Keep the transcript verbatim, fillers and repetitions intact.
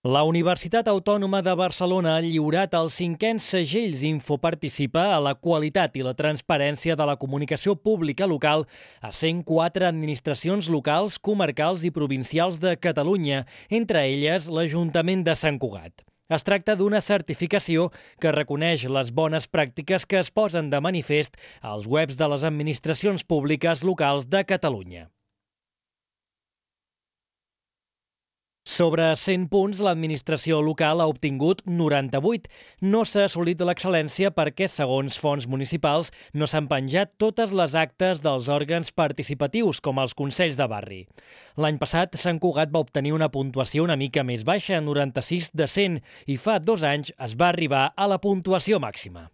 La Universitat Autònoma de Barcelona ha lliurat els cinquens segells Infoparticipa a la qualitat i la transparència de la comunicació pública local a cent quatre administracions locals, comarcals i provincials de Catalunya, entre elles l'Ajuntament de Sant Cugat. Es tracta d'una certificació que reconeix les bones pràctiques que es posen de manifest als webs de les administracions públiques locals de Catalunya. Sobre cent punts, l'administració local ha obtingut noranta-vuit. No s'ha assolit l'excel·lència perquè, segons fonts municipals, no s'han penjat totes les actes dels òrgans participatius, com els consells de barri. L'any passat, Sant Cugat va obtenir una puntuació una mica més baixa, noranta-sis de cent, i fa dos anys es va arribar a la puntuació màxima.